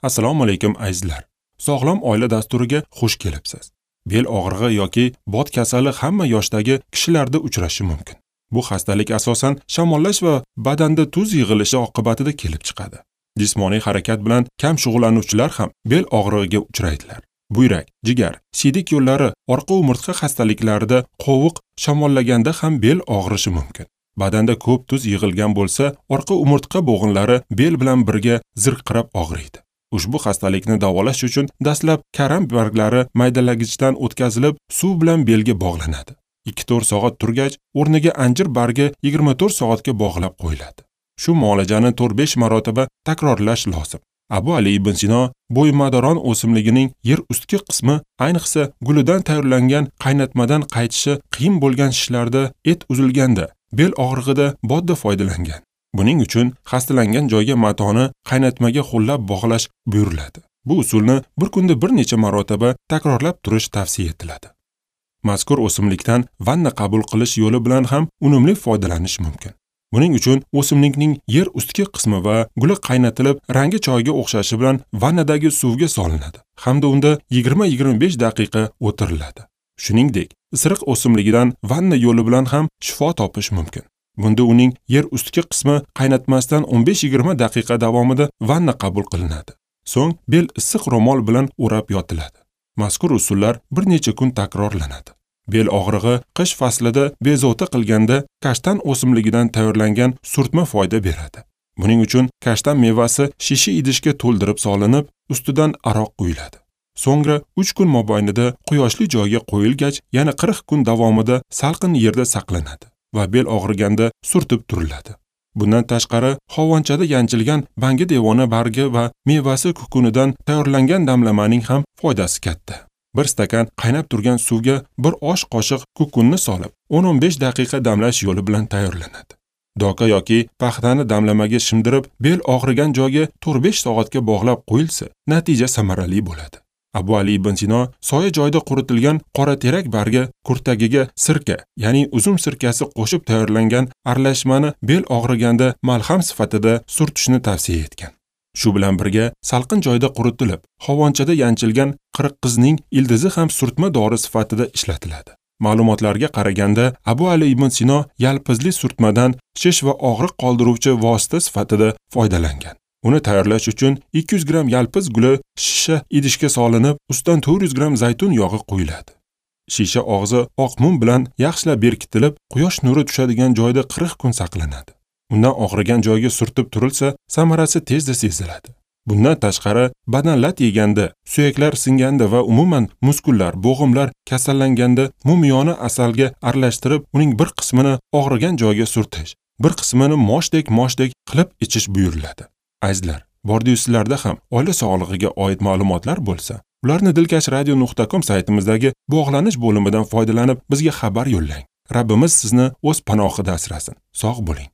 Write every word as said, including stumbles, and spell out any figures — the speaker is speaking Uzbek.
Assalomu alaykum azizlar. Sog'lom oila dasturiga xush kelibsiz. Bel og'rig'i yoki bot kasali hamma yoshdagi kishilarda uchrashi mumkin. Bu xastalik asosan shamollash va badanda tuz yig'ilishi oqibatida kelib chiqadi. Jismoniy harakat bilan kam shug'ullanuvchilar ham bel og'rig'iga uchraydilar. Buyrak, jigar, siydik yo'llari, orqa umurtqa xastaliklarida qovuq shamollaganda ham bel og'rishi mumkin. Badanda ko'p tuz yig'ilgan bo'lsa, orqa umurtqa bo'g'inlari bel bilan birga zirqirab og'riydi. Ushbu xastalikni davolash uchun dastlab karam barglari maydalagichdan o'tkazilib, suv bilan belga bog'lanadi. ikki to'rt soat turgach, o'rniga anjir bargi yigirma to'rt soatga bog'lab qo'yiladi. Shu muolajani to'rt besh marotaba takrorlash lozim. Abu Ali ibn Sino bo'ymadoron o'simligining yer ustki qismi, ayniqsa gulidan tayyorlangan qaynatmadan qaytishi qiyin bo'lgan shishlarda, et uzilganda, bel og'rig'ida bodda foydalangan. Buning uchun xastalangan joyga matoni qaynatmaga ho'llab bog'lash buyuriladi. Bu usulni bir kunda bir necha marotaba takrorlab turish tavsiya etiladi. Mazkur o'simlikdan vanna qabul qilish yo'li bilan ham unumli foydalanish mumkin. Buning uchun o'simlikning yer ustki qismi va guli qaynatilib, rangi choyga o'xshashi bilan vannadagi suvga solinadi hamda unda yigirma yigirma besh daqiqa o'tiriladi. Shuningdek, isiriq o'simligidan vanna yo'li bilan ham shifo topish mumkin. Bunda uning yer ustki qismi qaynatmasdan o'n besh yigirma daqiqa davomida vanna qabul qilinadi. So'ng bel issiq ro'mol bilan o'rab yotiladi. Mazkur usullar bir necha kun takrorlanadi. Bel og'rig'i qish faslida bezovta qilganda kashtan o'simligidan tayyorlangan surtma foyda beradi. Buning uchun kashtan mevasi shisha idishga to'ldirib solinib, ustidan aroq quyiladi. So'ngra uch kun mobaynida quyoshli joyga qo'yilgach, yana qirq kun davomida salqin yerda saqlanadi va bel og'riganda surtib turiladi. Bundan tashqari, hovonchada yanchilgan bangi devona bargi va mevasi kukunidan tayyorlangan damlamaning ham foydasi katta. Bir stakan qaynab turgan suvga bir osh qoshiq kukunni solib, o'n o'n besh daqiqa damlash yo'li bilan tayyorlanadi. Doka yoki paxtani damlamaga shimdirib, bel og'rigan joyga to'rt besh soatga bog'lab qo'yilsa, natija samarali bo'ladi. Abu Ali ibn Sino soya joyda quritilgan qora terak bargi kurtagiga sirka, ya'ni uzum sirkasi qo'shib tayyorlangan aralashmani bel og'riganda malham sifatida surtishni tavsiya etgan. Shu bilan birga salqin joyda quritilib, hovonchada yanchilgan qirqqizning ildizi ham surtma dori sifatida ishlatiladi. Ma'lumotlarga qaraganda, Abu Ali ibn Sino yalpizli surtmadan shish va og'riq qoldiruvchi vosita sifatida foydalangan. Uni tayyorlash uchun ikki yuz gramm yalpiz guli shisha idishga solinib, ustidan to'rt yuz gramm zaytun yog'i quyiladi. Shisha og'zi oq mum bilan yaxshilab berkitilib, quyosh nuri tushadigan joyda qirq kun saqlanadi. Undan og'rigan joyga surtib turilsa, samarasi tezda seziladi. Bundan tashqari, badan lat yeganda, suyaklar singanda va umuman muskullar, bo'g'imlar kasallanganda mumyoni asalga aralashtirib, uning bir qismini og'rigan joyga surtish, bir qismini moshdek-moshdek qilib ichish buyuriladi. Azizlar, bordiyu sizlarda ham oila sog'lig'iga oid ma'lumotlar bo'lsa, ularni dilkash radio nuqta com saytimizdagi bog'lanish bo'limidan foydalanib bizga xabar yo'llang. Rabbimiz sizni o'z panohida asrasin. Sog' bo'ling.